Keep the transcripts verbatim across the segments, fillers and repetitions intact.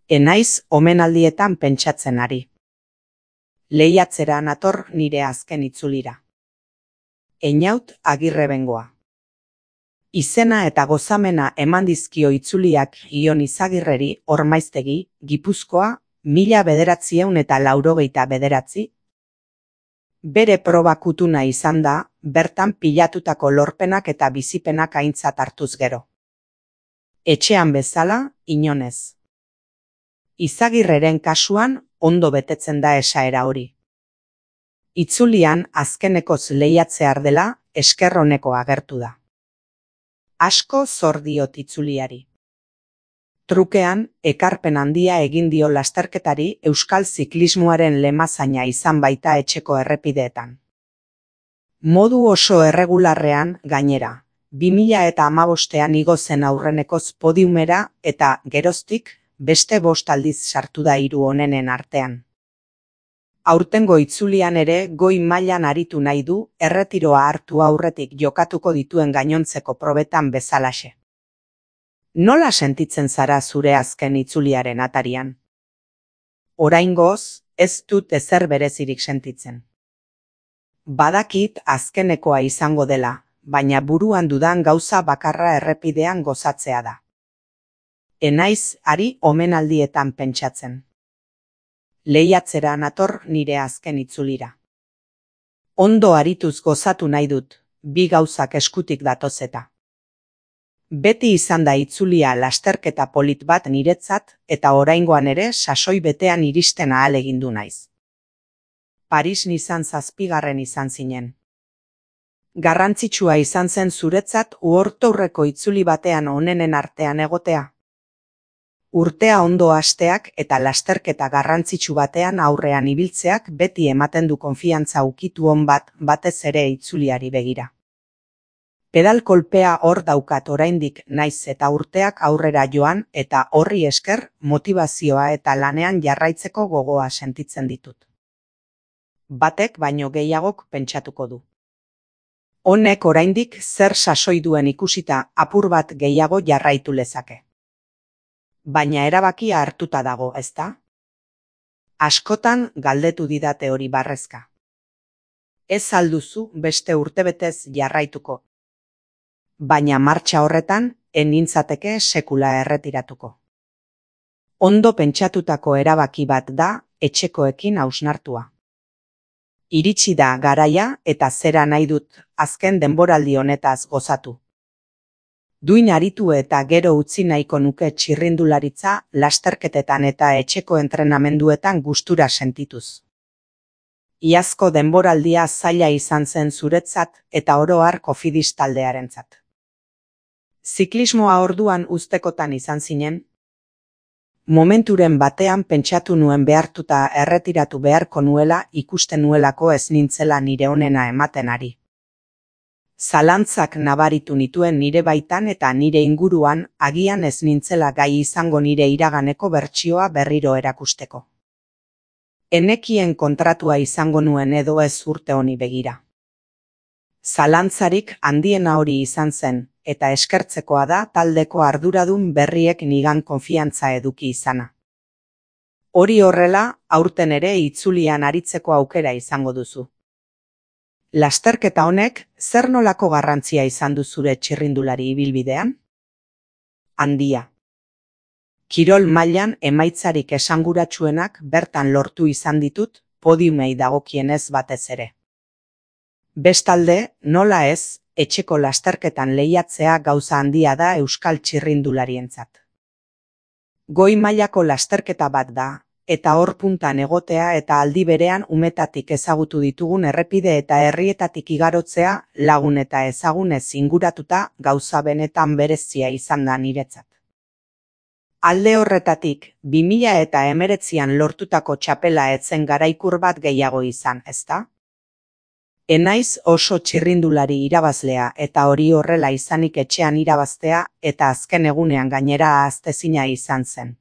Enaiz omenaldietan pentsatzen ari. Lehiatzera nator nire azken itzulira. Einaut Agirre Bengoa. Izena eta gozamena eman dizkio itzuliak Ion Izagirreri Ormaiztegi, Gipuzkoa, mila bederatziehun eta laurogeita bederatzi. Bere proba kutuna izan da, bertan pilatutako lorpenak eta bizipenak aintzat hartuz gero. Etxean bezala, inonez. Izagirreren kasuan ondo betetzen da esaera hori. Itzulian azkenekoz lehiatzear dela esker oneko agertu da. Asko zor diot itzuliari. Trukean, ekarpen handia egin dio lasterketari euskal ziklismoaren lemazaina izan baita etxeko errepideetan. Modu oso erregularrean gainera, bi mila eta hamabostean igo zen aurrenekoz podiumera eta geroztik beste bost aldiz sartu da hiru onenen artean. Aurtengo itzulian ere goi mailan aritu nahi du erretiroa hartu aurretik jokatuko dituen gainontzeko probetan bezalaxe. Nola sentitzen zara zure azken itzuliaren atarian? Oraingoz, ez dut ezer berezirik sentitzen. Badakit azkenekoa izango dela, baina buruan dudan gauza bakarra errepidean gozatzea da. Enaiz ari omenaldietan pentsatzen. Lehiatzera nator nire azken itzulira. Ondo arituz gozatu nahi dut, bi gauzak eskutik datozeta. Beti izan da itzulia lasterketa polit bat niretzat eta oraingoan ere sasoi betean iristen ahalegindu naiz. Paris Nizan zazpigarren izan zinen. Garrantzitsua izan zen zuretzat uortourreko itzuli batean onenen artean egotea. Urtea ondo hasteak eta lasterketa garrantzitsu batean aurrean ibiltzeak beti ematen du konfiantza ukitu on bat batez ere itzuliari begira. Pedal kolpea hor daukat oraindik naiz eta urteak aurrera joan eta horri esker motivazioa eta lanean jarraitzeko gogoa sentitzen ditut. Batek baino gehiagok pentsatuko du. Honek oraindik zer sasoi duen ikusita apur bat gehiago jarraitu lezake. Baina erabakia hartuta dago, ezta? Askotan galdetu didate hori barrezka. Ez alduzu beste urtebetez jarraituko. Baina martxa horretan, enintzateke sekula erretiratuko. Ondo pentsatutako erabaki bat da, etxekoekin hausnartua. Iritsi da garaia eta zera nahi dut azken denboraldi honetaz gozatu. Duin aritu eta gero utzi nahiko nuke txirrindularitza lasterketetan eta etxeko entrenamenduetan gustura sentituz. Iazko denboraldia zaila izan zen zuretzat eta oro har Cofidis taldearentzat. Ziklismoa orduan uztekotan izan zinen? Momenturen batean pentsatu nuen behartuta erretiratu beharko nuela ikusten nuelako ez nintzela nire onena ematen ari. Zalantzak nabaritu nituen nire baitan eta nire inguruan agian ez nintzela gai izango nire iraganeko bertsioa berriro erakusteko. Enekien kontratua izango nuen edo ez urte honi begira. Zalantzarik handiena hori izan zen, eta eskertzekoa da taldeko arduradun berriek nigan konfiantza eduki izana. Hori horrela, aurten ere itzulian aritzeko aukera izango duzu. Lasterketa honek zer nolako garrantzia izan du zure txirrindulari ibilbidean? Handia. Kirol mailan emaitzarik esanguratsuenak bertan lortu izan ditut, podiumei dagokienez batez ere. Bestalde, nola ez, etxeko lasterketan lehiatzea gauza handia da euskal txirrindularientzat. Goi mailako lasterketa bat da, eta hor puntan egotea eta aldi berean umetatik ezagutu ditugun errepide eta herrietatik igarotzea lagun eta ezagunez inguratuta gauza benetan berezia izan da niretzat. Alde horretatik, bi mila eta hemeretzian lortutako txapela etzen garaikur bat gehiago izan, ezta? Enaiz oso txirrindulari irabazlea eta hori horrela izanik etxean irabaztea eta azken egunean gainera ahaztezina izan zen.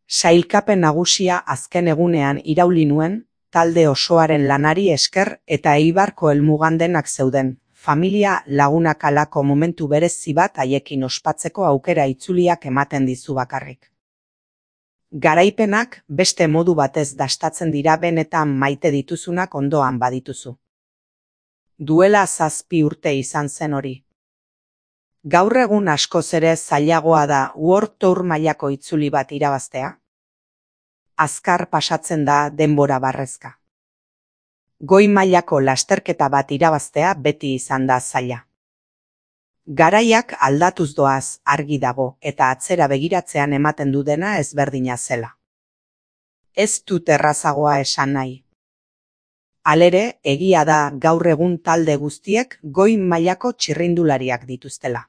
Sailkapen nagusia azken egunean irauli nuen, talde osoaren lanari esker eta Eibarko helmugandenak zeuden, familia lagunak alako momentu berezi bat haiekin ospatzeko aukera itzuliak ematen dizu bakarrik. Garaipenak beste modu batez dastatzen dira benetan maite dituzunak ondoan badituzu. Duela zazpi urte izan zen hori. Gaur egun askoz ere zailagoa da World Tour mailako itzuli bat irabaztea. Azkar pasatzen da denbora barrezka. Goi mailako lasterketa bat irabaztea beti izan da zaila. Garaiak aldatuz doaz argi dago eta atzera begiratzean ematen du dena ezberdina zela. Ez dut errazagoa esan nahi. Halere, egia da gaur egun talde guztiek goi mailako txirrindulariak dituztela.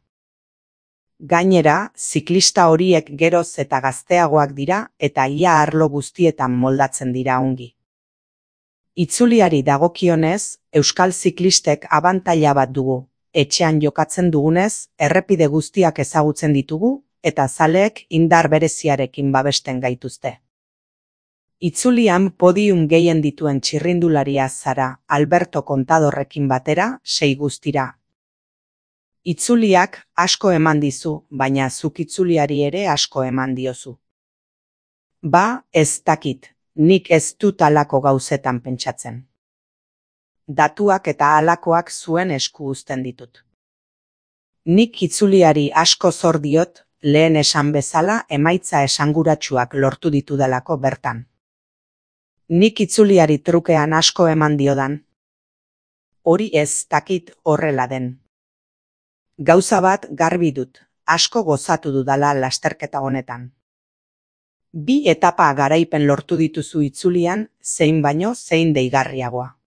Gainera, ziklista horiek geroz eta gazteagoak dira eta ia arlo guztietan moldatzen dira ongi. Itzuliari dagokionez, euskal ziklistek abantaila bat dugu. Etxean jokatzen dugunez, errepide guztiak ezagutzen ditugu eta zaleek indar bereziarekin babesten gaituzte. Itzulian podium gehien dituen txirrindularia zara Alberto Contadorrekin batera, sei guztira. Itzuliak asko eman dizu, baina zuk itzuliari ere asko eman diozu. Ba, ez dakit, nik ez dut halako gauzetan pentsatzen. Datuak eta halakoak zuen esku uzten ditut. Nik itzuliari asko zor diot, lehen esan bezala emaitza esanguratsuak lortu ditudalako bertan. Nik itzuliari trukean asko eman diodan. Hori ez dakit horrela den. Gauza bat garbi dut, asko gozatu dudala lasterketa honetan. Bi etapa garaipen lortu dituzu itzulian, zein baino zein deigarriagoa.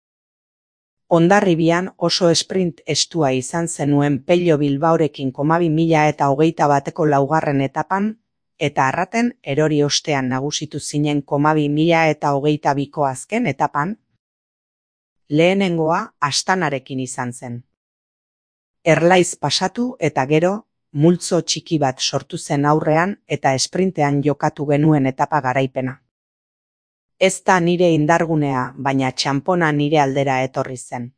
Hondarribian oso sprint estua izan zenuen Pello Bilbaorekin komabi mila eta hogeita bateko laugarren etapan, eta arraten erori ostean nagusitu zinen komabi mila eta hogeita biko azken etapan, lehenengoa Astanarekin izan zen. Erlaiz pasatu eta gero, multzo txiki bat sortu zen aurrean eta esprintean jokatu genuen etapa garaipena. Ez da nire indargunea, baina txanpona nire aldera etorri zen.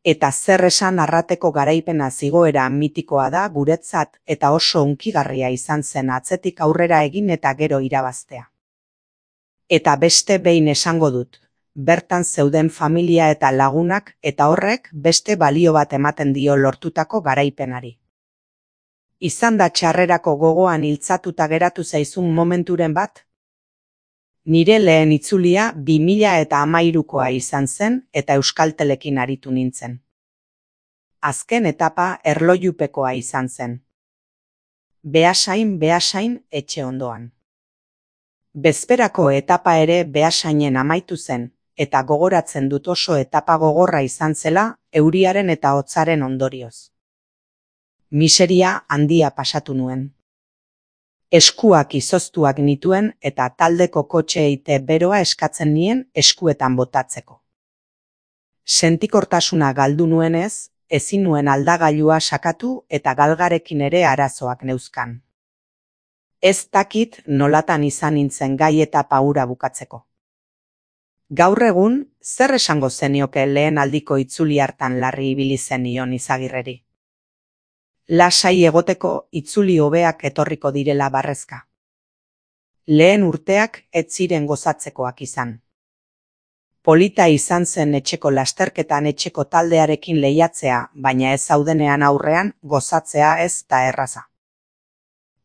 Eta zer esan arrateko garaipena zigoera mitikoa da guretzat eta oso hunkigarria izan zen atzetik aurrera egin eta gero irabaztea. Eta beste behin esango dut, bertan zeuden familia eta lagunak eta horrek beste balio bat ematen dio lortutako garaipenari. Izan da txarrerako gogoan iltzatuta geratu zaizun momenturen bat? Nire lehen itzulia bi mila eta hamairukoa izan zen eta Euskaltelekin aritu nintzen. Azken etapa erlojupekoa izan zen. Beasain, beasain, etxe ondoan. Bezperako etapa ere Beasainen amaitu zen, eta gogoratzen dut oso etapa gogorra izan zela euriaren eta hotzaren ondorioz. Miseria handia pasatu nuen. Eskuak izoztuak nituen eta taldeko kotxeeite beroa eskatzen nien eskuetan botatzeko. Sentikortasuna galdu nuenez, ezin nuen aldagailua sakatu eta galgarekin ere arazoak neuzkan. Ez dakit nolatan izan nintzen gai eta paura bukatzeko. Gaur egun, zer esango zenioke lehen aldiko itzuli hartan larri ibili zenion Izagirreri? Lasai egoteko itzuli hobeak etorriko direla barrezka. Lehen urteak ez ziren gozatzekoak izan. Polita izan zen etxeko lasterketan etxeko taldearekin lehiatzea, baina ez zaudenean aurrean gozatzea ez da erraza.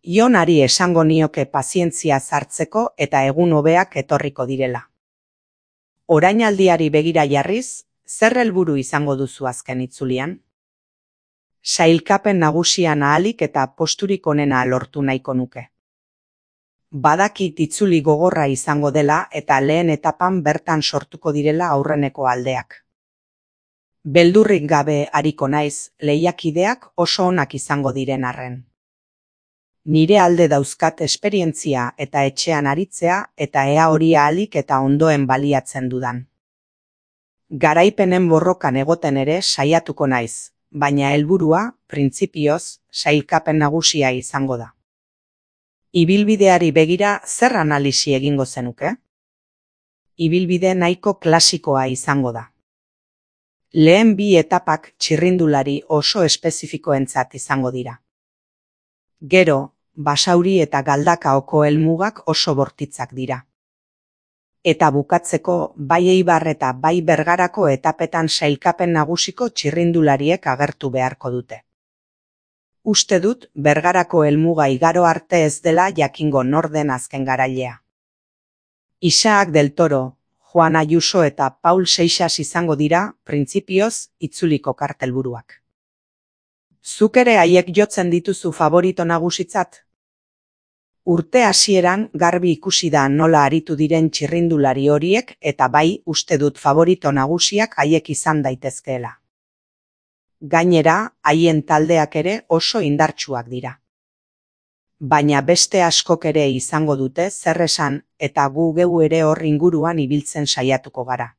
Ionari esango nioke pazientzia sartzeko eta egun hobeak etorriko direla. Orainaldiari begira jarriz, zer helburu izango duzu azken itzulian? Sailkapen nagusian ahalik eta posturik onena lortu nahiko nuke. Badakit itzuli gogorra izango dela eta lehen etapan bertan sortuko direla aurreneko aldeak. Beldurrik gabe ariko naiz, lehiakideak oso onak izango diren arren. Nire alde dauzkat esperientzia eta etxean aritzea eta ea hori ahalik eta ondoen baliatzen dudan. Garaipenen borrokan egoten ere saiatuko naiz, baina helburua, printzipioz, sailkapen nagusia izango da. Ibilbideari begira zer analisi egingo zenuke? Ibilbide nahiko klasikoa izango da. Lehen bi etapak txirrindulari oso espezifikoentzat izango dira. Gero, Basauri eta Galdakaoko helmugak oso bortitzak dira. Eta bukatzeko, bai Eibar eta bai Bergarako etapetan sailkapen nagusiko txirrindulariek agertu beharko dute. Uste dut, Bergarako helmuga igaro arte ez dela jakingo nor den azken garailea. Isaac del Toro, Juan Ayuso eta Paul Seixas izango dira, printzipioz, itzuliko kartelburuak. Zuk ere haiek jotzen dituzu favorito nagusitzat? Urte hasieran garbi ikusi da nola aritu diren txirrindulari horiek eta bai uste dut favorito nagusiak haiek izan daitezkeela. Gainera, haien taldeak ere oso indartsuak dira. Baina beste askok ere izango dute zer esan eta gu geu ere hor inguruan ibiltzen saiatuko gara.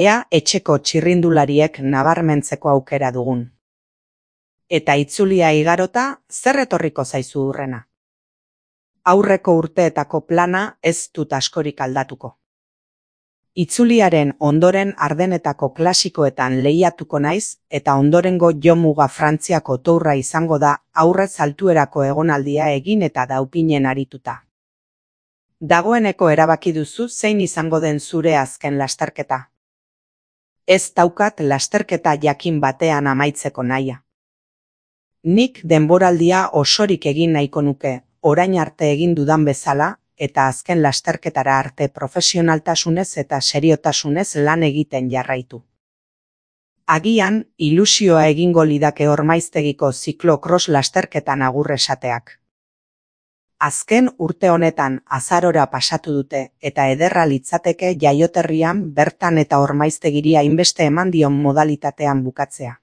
Ea etxeko txirrindulariek nabarmentzeko aukera dugun. Eta itzulia igarota, zer etorriko zaizu hurrena? Aurreko urteetako plana ez dut askorik aldatuko. Itzuliaren ondoren Ardenetako klasikoetan lehiatuko naiz eta ondorengo jomuga Frantziako tourra izango da aurrez altuerako egonaldia egin eta daupinen arituta. Dagoeneko erabaki duzu zein izango den zure azken lasterketa. Ez daukat lasterketa jakin batean amaitzeko nahia. Nik denboraldia osorik egin nahiko nuke, orain arte egin dudan bezala, eta azken lasterketara arte profesionaltasunez eta seriotasunez lan egiten jarraitu. Agian, ilusioa egingo lidake Ormaiztegiko ziklo-cross lasterketan agur esateak. Azken urte honetan azarora pasatu dute eta ederra litzateke jaioterrian bertan eta Ormaiztegiri hainbeste eman dion modalitatean bukatzea.